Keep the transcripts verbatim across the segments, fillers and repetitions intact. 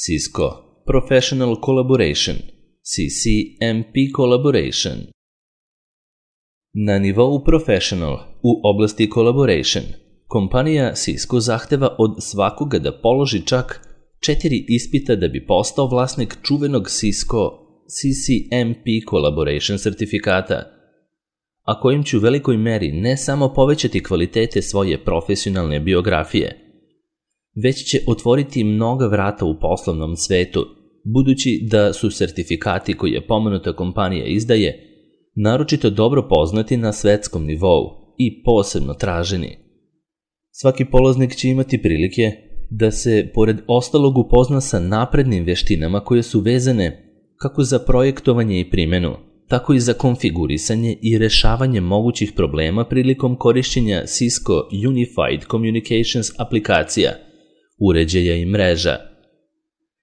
Cisco Professional Collaboration, C C M P Collaboration. Na nivou Professional u oblasti Collaboration, kompanija Cisco zahteva od svakoga da položi čak četiri ispita da bi postao vlasnik čuvenog Cisco C C M P Collaboration sertifikata, a kojim će u velikoj meri ne samo povećati kvalitete svoje profesionalne biografije, već će otvoriti mnoga vrata u poslovnom svetu, budući da su sertifikati koje pomenuta kompanija izdaje naročito dobro poznati na svetskom nivou i posebno traženi. Svaki polaznik će imati prilike da se, pored ostalog, upozna sa naprednim veštinama koje su vezane kako za projektovanje i primenu, tako i za konfigurisanje i rešavanje mogućih problema prilikom korišćenja Cisco Unified Communications aplikacija, uređaja i mreža.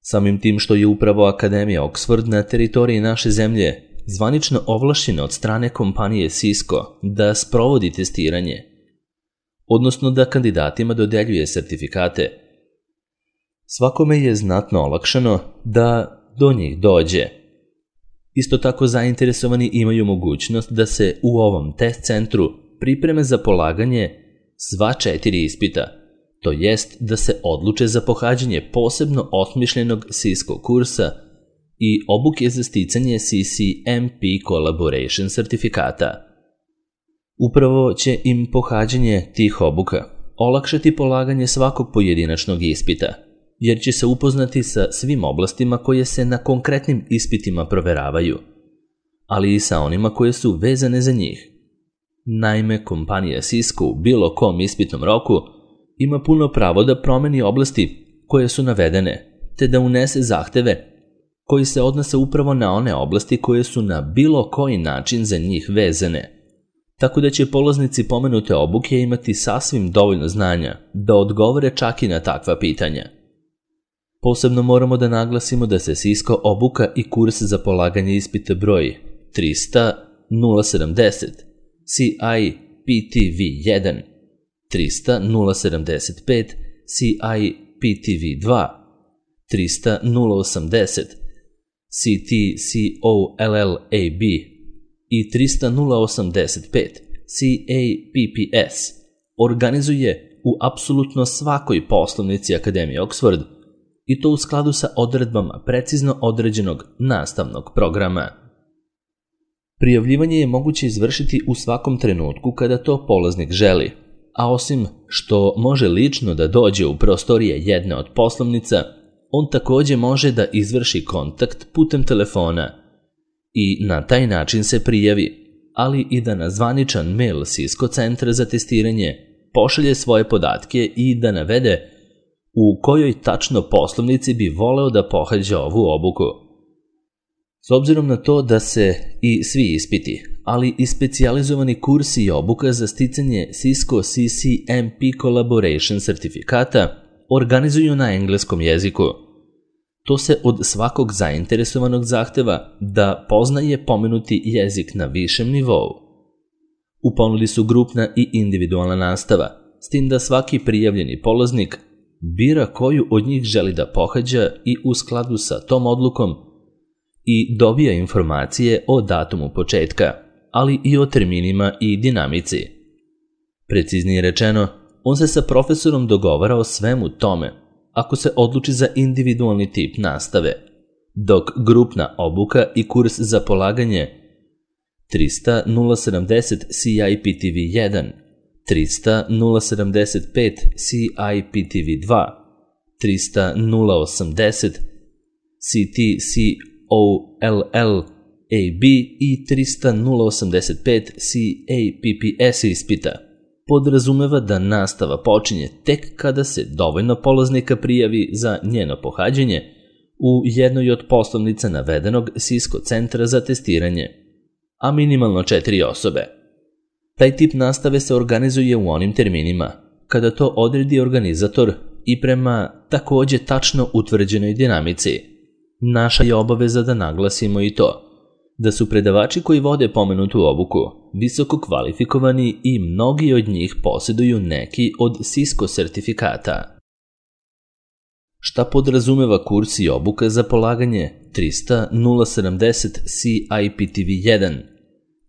Samim tim što je upravo Akademija Oxford na teritoriji naše zemlje zvanično ovlašćena od strane kompanije Cisco da sprovodi testiranje, odnosno da kandidatima dodeljuje sertifikate, svakome je znatno olakšano da do njih dođe. Isto tako zainteresovani imaju mogućnost da se u ovom test centru pripreme za polaganje sva četiri ispita, to jest da se odluče za pohađanje posebno osmišljenog Cisco kursa i obuke za sticanje C C M P Collaboration sertifikata. Upravo će im pohađanje tih obuka olakšati polaganje svakog pojedinačnog ispita, jer će se upoznati sa svim oblastima koje se na konkretnim ispitima proveravaju, ali i sa onima koje su vezane za njih. Naime, kompanija Cisco u bilo kom ispitnom roku ima puno pravo da promeni oblasti koje su navedene, te da unese zahteve koji se odnose upravo na one oblasti koje su na bilo koji način za njih vezane, tako da će polaznici pomenute obuke imati sasvim dovoljno znanja da odgovore čak i na takva pitanja. Posebno moramo da naglasimo da se Cisco obuka i kurs za polaganje ispita broj trista nula sedamdeset C I P T V jedan, trista nula sedamdeset pet C I P T V dva, trista nula osamdeset C T C O L L A B i trista nula osamdeset pet C A P P S organizuje u apsolutno svakoj poslovnici Akademije Oxford, i to u skladu sa odredbama precizno određenog nastavnog programa. Prijavljivanje je moguće izvršiti u svakom trenutku kada to polaznik želi, a osim što može lično da dođe u prostorije jedne od poslovnica, on takođe može da izvrši kontakt putem telefona i na taj način se prijavi, ali i da na zvaničan mail Cisco centra za testiranje pošalje svoje podatke i da navede u kojoj tačno poslovnici bi voleo da pohađa ovu obuku. S obzirom na to da se i svi ispiti, ali i specijalizovani kursi i obuka za sticanje Cisco C C M P Collaboration sertifikata organizuju na engleskom jeziku, to se od svakog zainteresovanog zahteva da poznaje pomenuti jezik na višem nivou. U ponudi su grupna i individualna nastava, s tim da svaki prijavljeni polaznik bira koju od njih želi da pohađa i u skladu sa tom odlukom i dobija informacije o datumu početka, ali i o terminima i dinamici. Preciznije rečeno, on se sa profesorom dogovara o svemu tome ako se odluči za individualni tip nastave, dok grupna obuka i kurs za polaganje trista nula sedamdeset C I P T V jedan, trista nula sedamdeset pet C I P T V dva, trista nula osamdeset C T C O L L A B i trista nula osamdeset pet C A P P S ispita podrazumeva da nastava počinje tek kada se dovoljno polaznika prijavi za njeno pohađanje u jednoj od poslovnica navedenog Cisco centra za testiranje, a minimalno četiri osobe. Taj tip nastave se organizuje u onim terminima kada to odredi organizator i prema takođe tačno utvrđenoj dinamici. Naša je obaveza da naglasimo i to da su predavači koji vode pomenutu obuku visoko kvalifikovani i mnogi od njih posjeduju neki od Cisco sertifikata. Šta podrazumeva kurs i obuka za polaganje trista nula sedamdeset C I P T V jedan,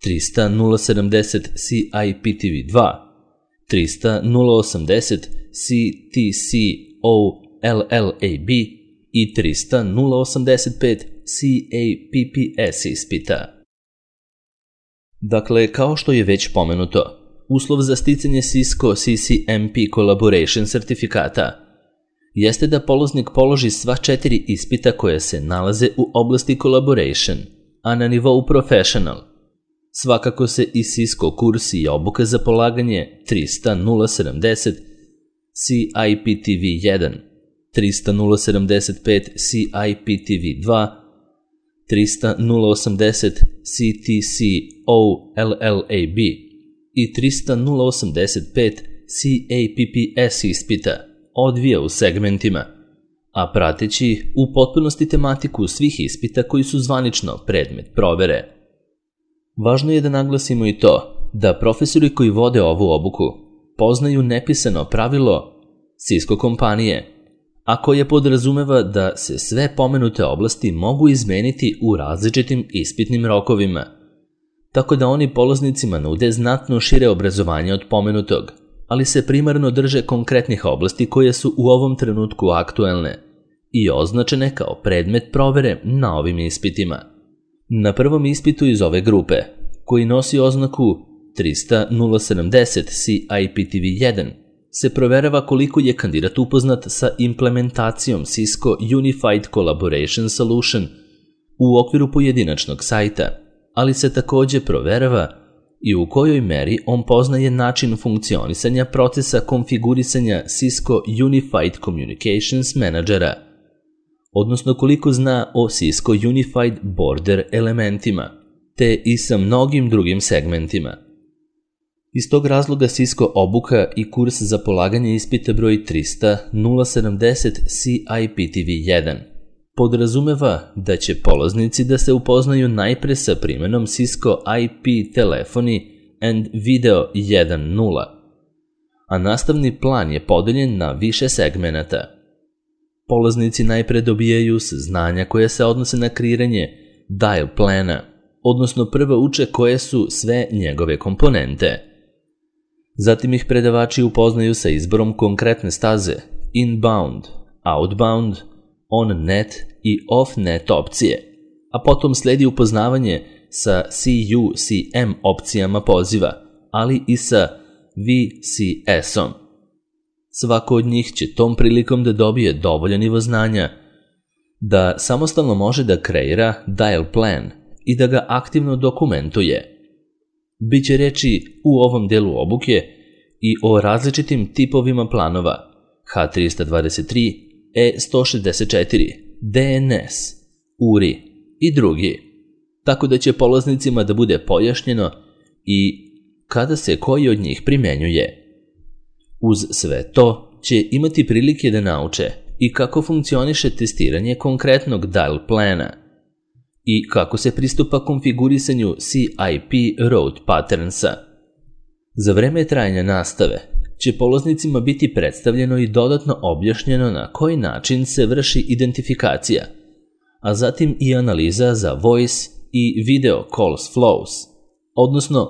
trista nula sedamdeset C I P T V dva, trista nula osamdeset C T C O L L A B i trista nula osamdeset pet C A P P S ispita. Dakle, kao što je već pomenuto, uslov za sticanje Cisco C C M P Collaboration sertifikata jeste da polaznik položi sva četiri ispita koja se nalaze u oblasti Collaboration, a na nivou Professional. Svakako se i Cisco kurs i obuka za polaganje trista nula sedamdeset C I P T V jedan, trista nula sedamdeset pet C I P T V dva, trista nula osamdeset C T C O L L A B i trista nula osamdeset pet C A P P S ispita odvija u segmentima, a prateći u potpunosti tematiku svih ispita koji su zvanično predmet provere. Važno je da naglasimo i to da profesori koji vode ovu obuku poznaju nepisano pravilo Cisco kompanije, a koje podrazumeva da se sve pomenute oblasti mogu izmeniti u različitim ispitnim rokovima, tako da oni polaznicima nude znatno šire obrazovanje od pomenutog, ali se primarno drže konkretnih oblasti koje su u ovom trenutku aktuelne i označene kao predmet provere na ovim ispitima. Na prvom ispitu iz ove grupe, koji nosi oznaku trista nula sedamdeset C I P T V jedan, se proverava koliko je kandidat upoznat sa implementacijom Cisco Unified Collaboration Solution u okviru pojedinačnog sajta, ali se takođe proverava i u kojoj meri on poznaje način funkcionisanja procesa konfigurisanja Cisco Unified Communications Managera, odnosno koliko zna o Cisco Unified Border elementima, te i sa mnogim drugim segmentima. Iz tog razloga Cisco obuka i kurs za polaganje ispita broj trista nula sedamdeset C I P T V jedan podrazumeva da će polaznici da se upoznaju najpre sa primenom Cisco I P telefoni and video jedan nula, a nastavni plan je podeljen na više segmenata. Polaznici najpre dobijaju saznanja koje se odnose na kreiranje dial plana, odnosno prvo uče koje su sve njegove komponente. Zatim ih predavači upoznaju sa izborom konkretne staze, inbound, outbound, on-net i off-net opcije, a potom sledi upoznavanje sa C U C M opcijama poziva, ali i sa V C S-om. Svako od njih će tom prilikom da dobije dovoljan nivo znanja da samostalno može da kreira dial plan i da ga aktivno dokumentuje. Biće reči u ovom delu obuke i o različitim tipovima planova H trista dvadeset tri, E sto šezdeset četiri, D N S, U R I i drugi, tako da će polaznicima da bude pojašnjeno i kada se koji od njih primenjuje. Uz sve to će imati prilike da nauče i kako funkcioniše testiranje konkretnog dial plana i kako se pristupa konfigurisanju C I P route patternsa. Za vreme trajanja nastave će polaznicima biti predstavljeno i dodatno objašnjeno na koji način se vrši identifikacija, a zatim i analiza za voice i video calls flows, odnosno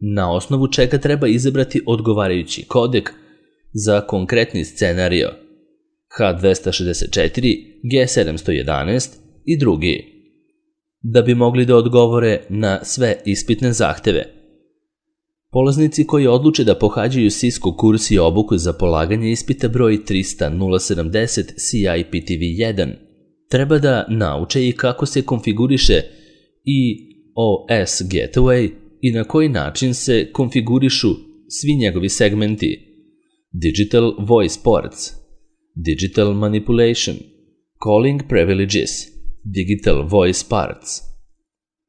na osnovu čega treba izabrati odgovarajući kodek za konkretni scenario H dvesta šezdeset četiri, G sedamsto jedanaest i drugi, da bi mogli da odgovore na sve ispitne zahteve. Polaznici koji odluče da pohađaju Cisco kurs i obuku za polaganje ispita broj trista nula sedamdeset C I P T V jedan treba da nauče i kako se konfiguriše i O S Gateway i na koji način se konfigurišu svi njegovi segmenti: Digital Voice Ports, Digital Manipulation, Calling Privileges, Digital Voice Parts.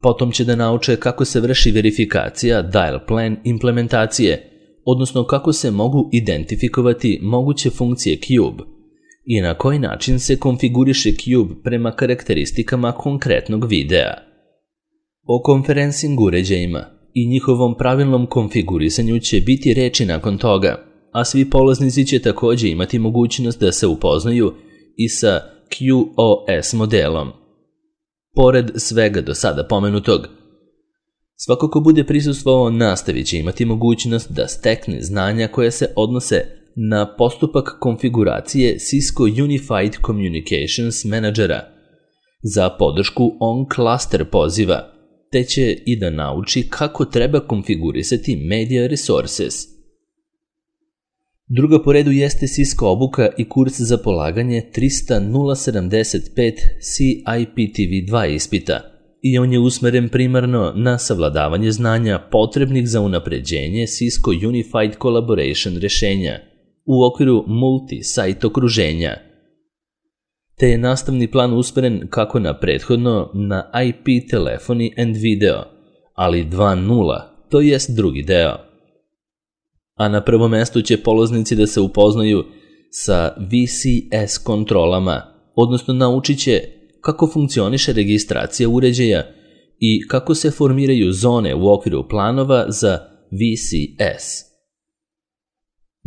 Potom će da nauče kako se vrši verifikacija dial plan implementacije, odnosno kako se mogu identifikovati moguće funkcije Cube i na koji način se konfiguriše Cube prema karakteristikama konkretnog videa. O konferencing uređajima i njihovom pravilnom konfigurisanju će biti reči nakon toga, a svi polaznici će takođe imati mogućnost da se upoznaju i sa Q O S modelom. Pored svega do sada pomenutog, svako ko bude prisustvovao nastavi će imati mogućnost da stekne znanja koje se odnose na postupak konfiguracije Cisco Unified Communications Managera za podršku on-cluster poziva, te će i da nauči kako treba konfigurisati Media Resources. Druga po redu jeste Cisco obuka i kurs za polaganje trista nula sedamdeset pet C I P T V dva ispita i on je usmeren primarno na savladavanje znanja potrebnih za unapređenje Cisco Unified Collaboration rešenja u okviru multi-site okruženja, te je nastavni plan usmeren kako na prethodno na I P telefoni and video, ali dva nula, to jest drugi deo. A na prvom mestu će polaznici da se upoznaju sa V C S kontrolama, odnosno naučit će kako funkcioniše registracija uređaja i kako se formiraju zone u okviru planova za V C S.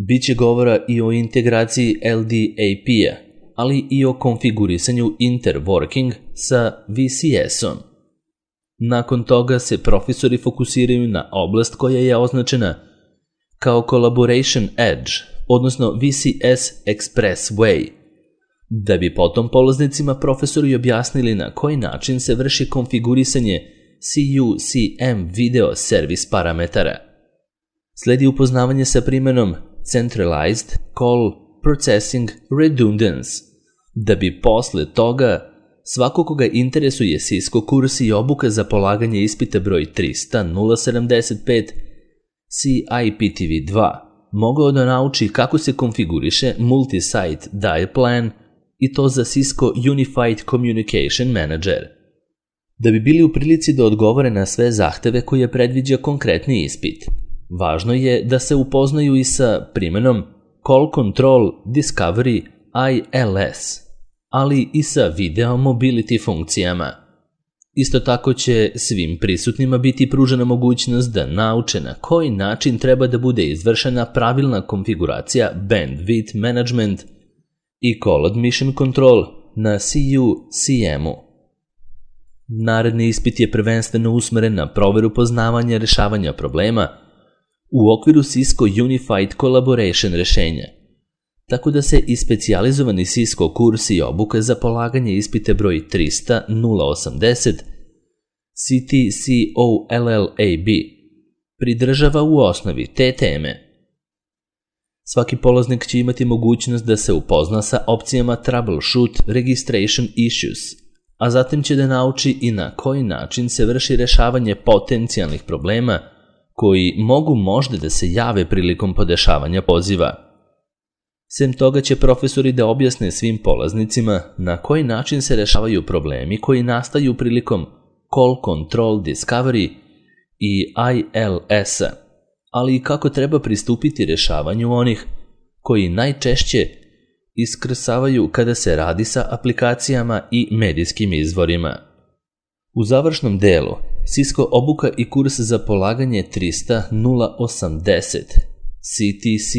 Biće govora i o integraciji L D A P-a, ali i o konfigurisanju interworking sa V C S-om. Nakon toga se profesori fokusiraju na oblast koja je označena kao Collaboration Edge, odnosno V C S Expressway, da bi potom polaznicima profesori objasnili na koji način se vrši konfigurisanje C U C M video service parametara. Sledi upoznavanje sa primenom Centralized Call Processing Redundance, da bi posle toga svako koga interesuje Cisco kurs i obuka za polaganje ispita broj trista nula sedamdeset pet C I P T V dva mogao da nauči kako se konfiguriše Multi-Site Diaplan i to za Cisco Unified Communication Manager. Da bi bili u prilici da odgovore na sve zahteve koje predviđa konkretni ispit, važno je da se upoznaju i sa primenom Call Control Discovery I L S, ali i sa video mobility funkcijama. Isto tako će svim prisutnima biti pružena mogućnost da nauče na koji način treba da bude izvršena pravilna konfiguracija Bandwidth Management i Call Admission Control na C U C M-u. Naredni ispit je prvenstveno usmeren na proveru poznavanja rešavanja problema u okviru Cisco Unified Collaboration rešenja, tako da se i specijalizovani Cisco kurs i obuka za polaganje ispite broj trista nula osamdeset C T C O L L A B pridržava u osnovi te teme. Svaki polaznik će imati mogućnost da se upozna sa opcijama Troubleshoot Registration Issues, a zatim će da nauči i na koji način se vrši rešavanje potencijalnih problema koji mogu možda da se jave prilikom podešavanja poziva. Sem toga će profesori da objasne svim polaznicima na koji način se rešavaju problemi koji nastaju prilikom Call Control Discovery i I L S-a, ali i kako treba pristupiti rešavanju onih koji najčešće iskrsavaju kada se radi sa aplikacijama i medijskim izvorima. U završnom delu, Cisco obuka i kurs za polaganje trista nula osamdeset C T C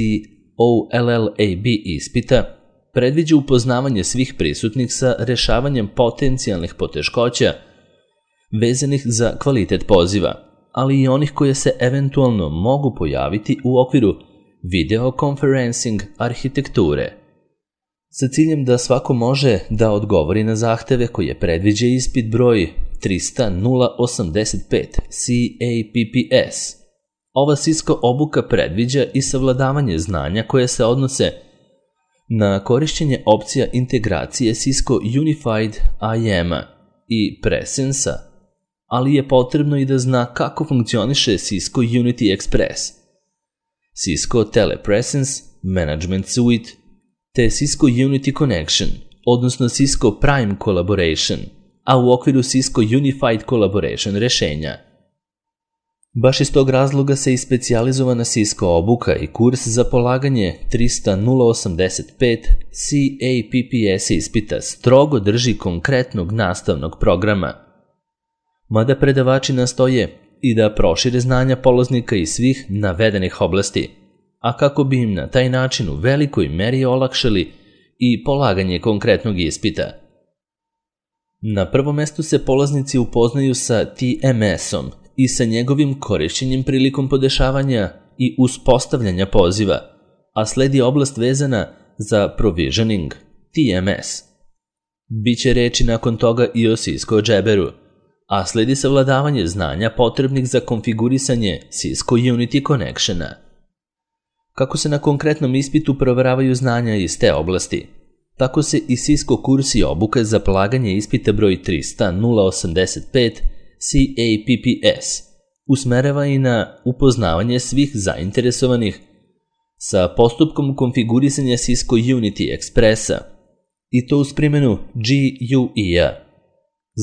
O L L A B ispita predviđa upoznavanje svih prisutnih sa rešavanjem potencijalnih poteškoća vezanih za kvalitet poziva, ali i onih koje se eventualno mogu pojaviti u okviru video conferencing arhitekture, sa ciljem da svako može da odgovori na zahteve koje predviđa ispit broj trista nula osamdeset pet C A P P S. Ova Cisco obuka predviđa i savladavanje znanja koje se odnose na korišćenje opcija integracije Cisco Unified I M-a i Presence-a, ali je potrebno i da zna kako funkcioniše Cisco Unity Express, Cisco Telepresence Management Suite, te Cisco Unity Connection, odnosno Cisco Prime Collaboration, a u okviru Cisco Unified Collaboration rešenja. Baš iz tog razloga se i specijalizovana Cisco obuka i kurs za polaganje trista nula osamdeset pet C A P P S ispita strogo drži konkretnog nastavnog programa, mada predavači nastoje i da prošire znanja polaznika iz svih navedenih oblasti, a kako bi im na taj način u velikoj meri olakšali i polaganje konkretnog ispita. Na prvom mestu se polaznici upoznaju sa T M S-om i sa njegovim korišćenjem prilikom podešavanja i uspostavljanja poziva, a sledi oblast vezana za provisioning, T M S. Biće reči nakon toga i o Cisco Jabberu, a sledi savladavanje znanja potrebnih za konfigurisanje Cisco Unity Connectiona. Kako se na konkretnom ispitu proveravaju znanja iz te oblasti, tako se i Cisco kurs i obuka za polaganje ispita broj trista nula osamdeset pet C A P P S usmerava i na upoznavanje svih zainteresovanih sa postupkom konfigurisanja Cisco Unity Expressa, i to uz primjenu G U I-a.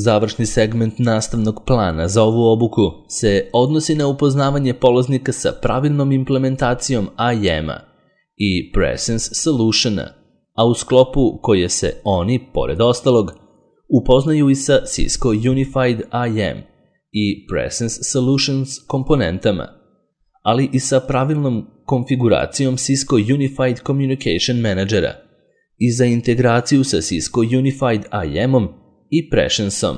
Završni segment nastavnog plana za ovu obuku se odnosi na upoznavanje polaznika sa pravilnom implementacijom I A M-a i Presence Solutiona, a u sklopu koje se oni, pored ostalog, upoznaju i sa Cisco Unified I A M i Presence Solutions komponentama, ali i sa pravilnom konfiguracijom Cisco Unified Communication Managera i za integraciju sa Cisco Unified I A M-om i Presence-om.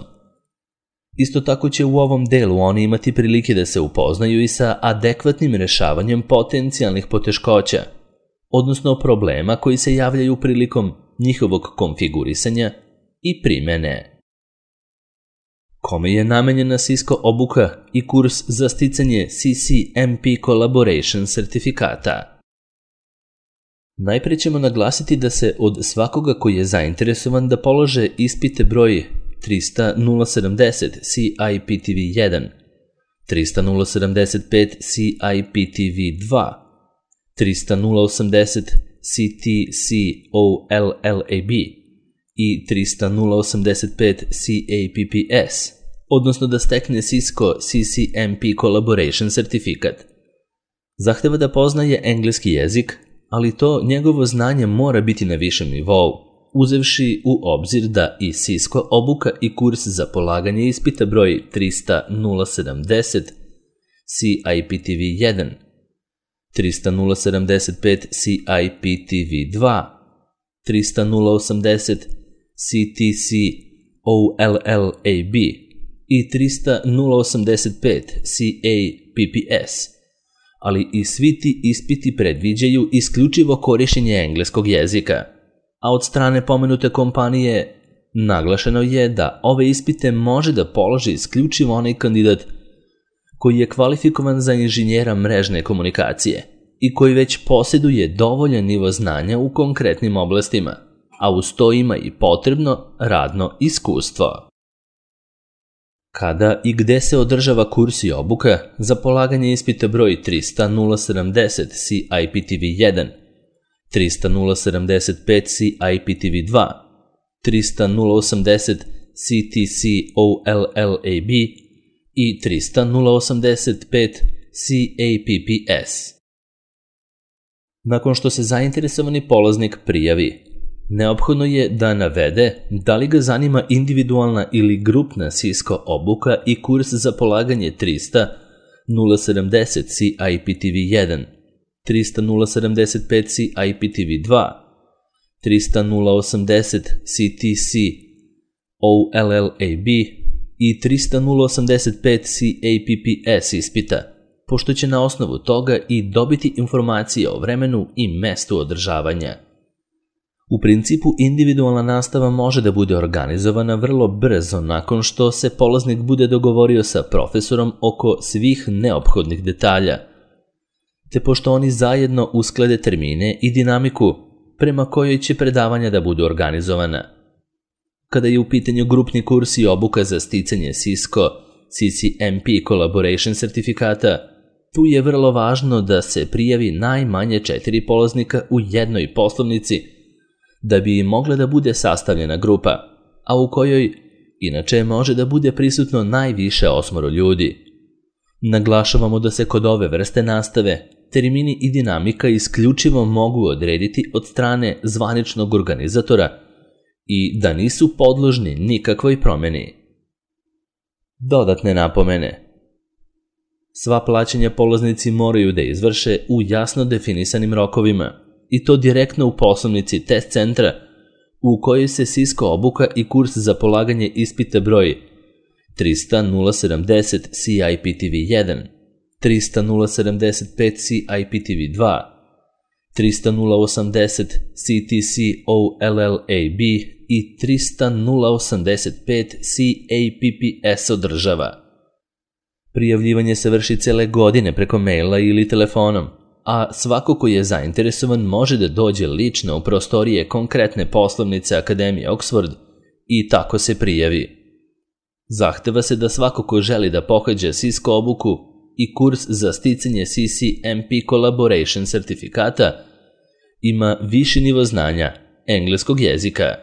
Isto tako će u ovom delu oni imati prilike da se upoznaju i sa adekvatnim rešavanjem potencijalnih poteškoća, odnosno problema koji se javljaju prilikom njihovog konfigurisanja i primene. Kome je namenjena Cisco obuka i kurs za sticanje C C M P Collaboration sertifikata? Najpre ćemo naglasiti da se od svakoga koji je zainteresovan da polože ispite broj trista nula sedamdeset C I P T V jedan, trista nula sedamdeset pet C I P T V dva, trista nula osamdeset C T C O L L A B i trista nula osamdeset pet C A P P S, odnosno da stekne Cisco C C M P Collaboration sertifikat. Zahteva da poznaje engleski jezik, ali to njegovo znanje mora biti na višem nivou, uzevši u obzir da i Cisco obuka i kurs za polaganje ispita broj trista nula sedamdeset C I P T V jedan, trista nula sedamdeset pet C I P T V dva, trista nula osamdeset C T C O L L A B i trista nula osamdeset pet C A P P S, ali i svi ti ispiti predviđaju isključivo korišćenje engleskog jezika, a od strane pomenute kompanije naglašeno je da ove ispite može da položi isključivo onaj kandidat koji je kvalifikovan za inženjera mrežne komunikacije i koji već posjeduje dovoljan nivo znanja u konkretnim oblastima, a uz to ima i potrebno radno iskustvo. Kada i gde se održava kurs i obuka za polaganje ispita broj trista nula sedamdeset C I P T V jedan, trista nula sedamdeset pet C I P T V dva, trista nula osamdeset C T C O L L A B i trista nula osamdeset pet C A P P S. Nakon što se zainteresovani polaznik prijavi, neophodno je da navede da li ga zanima individualna ili grupna Cisco obuka i kurs za polaganje trista nula sedamdeset C I P T V jedan, trista nula sedamdeset pet C I P T V dva, trista nula osamdeset C T C O L L A B i trista nula osamdeset pet C A P P S ispita, pošto će na osnovu toga i dobiti informacije o vremenu i mestu održavanja. U principu, individualna nastava može da bude organizovana vrlo brzo nakon što se polaznik bude dogovorio sa profesorom oko svih neophodnih detalja, te pošto oni zajedno usklade termine i dinamiku prema kojoj će predavanja da budu organizovana. Kada je u pitanju grupni kurs i obuka za sticanje Cisco C C M P Collaboration sertifikata, tu je vrlo važno da se prijavi najmanje četiri polaznika u jednoj poslovnici da bi mogla da bude sastavljena grupa, a u kojoj inače može da bude prisutno najviše osmoro ljudi. Naglašavamo da se kod ove vrste nastave termini i dinamika isključivo mogu odrediti od strane zvaničnog organizatora i da nisu podložni nikakvoj promjeni. Dodatne napomene. Sva plaćanja polaznici moraju da izvrše u jasno definisanim rokovima, i to direktno u poslovnici test centra u kojoj se Cisco obuka i kurs za polaganje ispita broj trista nula sedamdeset C I P T V jedan, trista nula sedamdeset pet C I P T V dva, trista nula osamdeset C T C O L L A B i trista nula osamdeset pet C A P P S održava. Prijavljivanje se vrši cele godine preko maila ili telefonom, a svako ko je zainteresovan može da dođe lično u prostorije konkretne poslovnice Akademije Oxford i tako se prijavi. Zahteva se da svako ko želi da pohađa Cisco obuku i kurs za sticanje C C M P Collaboration sertifikata ima viši nivo znanja engleskog jezika.